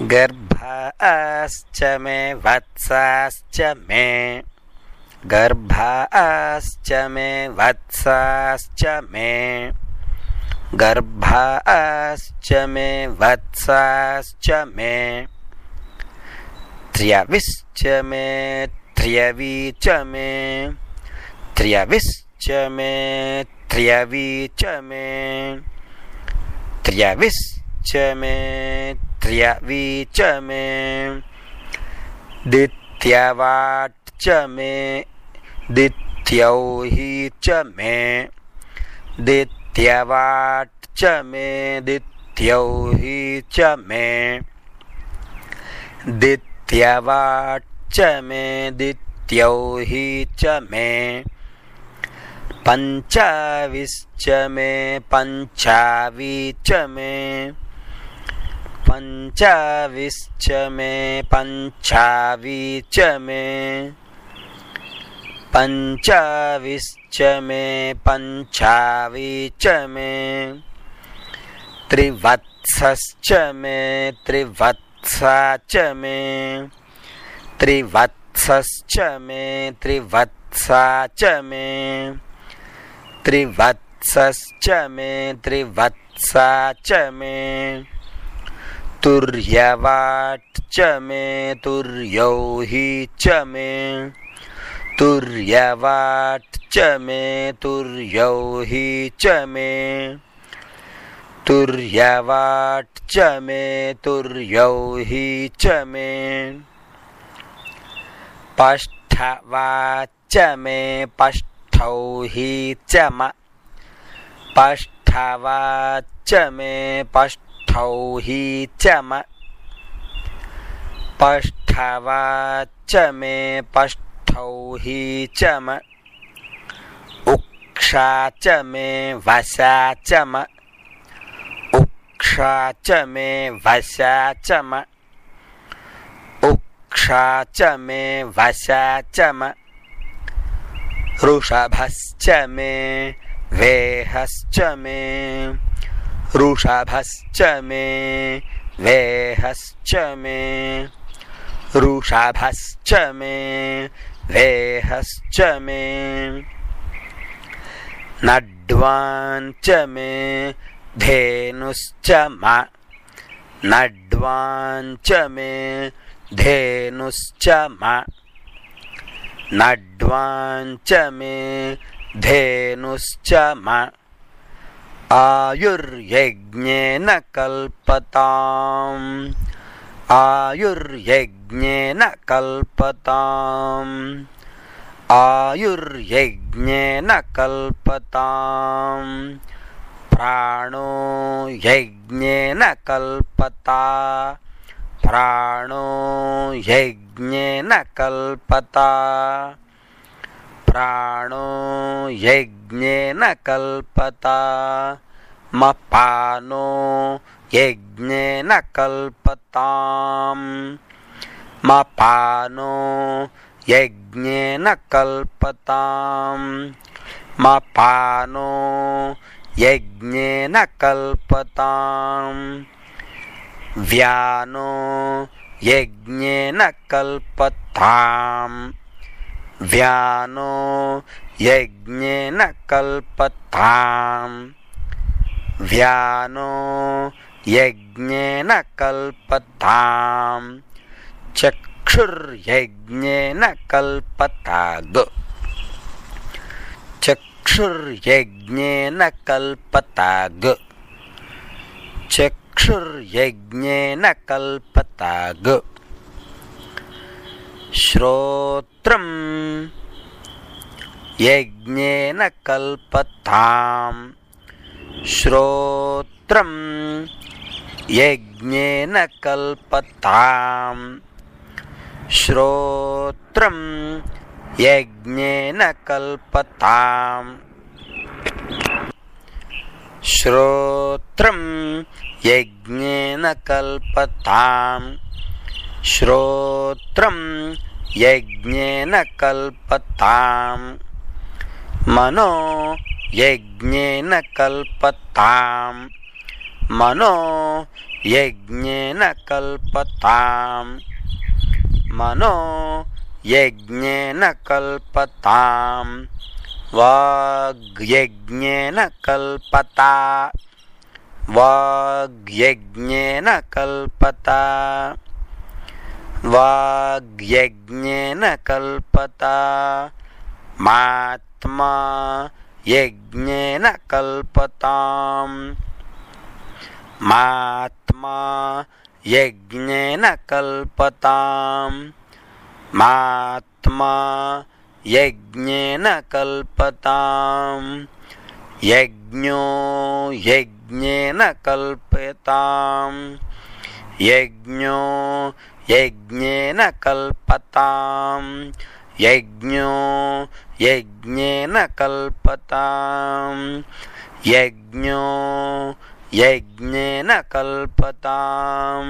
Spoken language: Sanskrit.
गर्भाश्च मे वत्साश्च मे गर्भाश्च मे वत्साश्च मे गर्भाश्च मे वत्साश्च मे त्र्यविश्च मे त्र्यवी च मे त्र्यविश्च मे त्र्यवी च मे त्र्यविश्च मे त्र्यवी च मे दित्यवाट् च मे दित्यौहि च मे दित्यवाट् च मे दित्यौहि च मे दित्यवाट् च मे दित्यौहि च मे पञ्चाविश्च मे पञ्चावी च मे पञ्चाविश्च मे पञ्चावी च मे पञ्चाविश्च मे पञ्चावी च मे त्रिवत्सश्च मे त्रिवत्सा च मे त्रिवत्सश्च मे त्रिवत्सा च मे त्रिवत्सश्च मे त्रिवत्सा च मे तुर्यवाट् च मे तुर्यौहि च मे तुर्यवाट् च मे तुर्यौहि च मे तुर्यवाट् च मे तुर्यौहि च मे पष्ठवाच् च मे पष्ठौहि च म पष्ठवाच् च मे पष्ठौहि च म पष्ठवाच् च मे पष्ठौहि च म उक्षा च मे वशा च म उक्षा च मे वशा च म उक्षा च मे वशा च म वृषभश्च मे वेहश्च मे वृषभश्च मे वेहश्च मे वृषभश्च मे वेहश्च मे नड्वान् च मे धेनुश्च म नड्वान् च मे धेनुश्च म नड्वान् च मे धेनुश्च म आयुर्यज्ञेन कल्पताम् आयुर्यज्ञेन कल्पताम् आयुर्यज्ञेन कल्पताम् प्राणो यज्ञेन कल्पता प्राणो यज्ञेन कल्पता प्राणो यज्ञेन कल्पता मपानो यज्ञेन कल्पताम् मपानो यज्ञेन कल्पताम् मपानो यज्ञेन कल्पताम् व्यानो यज्ञेन कल्पताम् व्यानो यज्ञेन कल्पताम् व्यानो यज्ञेन कल्पताम् चक्षुर्यज्ञेन कल्पताग् चक्षुर्यज्ञेन कल्पताग् चक्षुर्यज्ञेन कल्पताग् श्रोत्रं यज्ञेन कल्पताम् श्रोत्रं यज्ञेन कल्पताम् श्रोत्रं यज्ञेन कल्पताम् श्रोत्रं यज्ञेन कल्पताम् श्रोत्रं यज्ञेन कल्पताम् मनो यज्ञेन कल्पताम् मनो यज्ञेन कल्पताम् मनो यज्ञेन कल्पताम् वाग्यज्ञेन कल्पता वाग्यज्ञेन कल्पता वाग्यज्ञेन कल्पता मात्मा यज्ञेन कल्पताम् मात्मा यज्ञेन कल्पताम् मात्मा यज्ञेन कल्पताम् यज्ञो यज्ञेन कल्पताम् यज्ञो यज्ञेन कल्पताम् यज्ञो यज्ञेन कल्पताम् यज्ञो यज्ञेन कल्पताम्।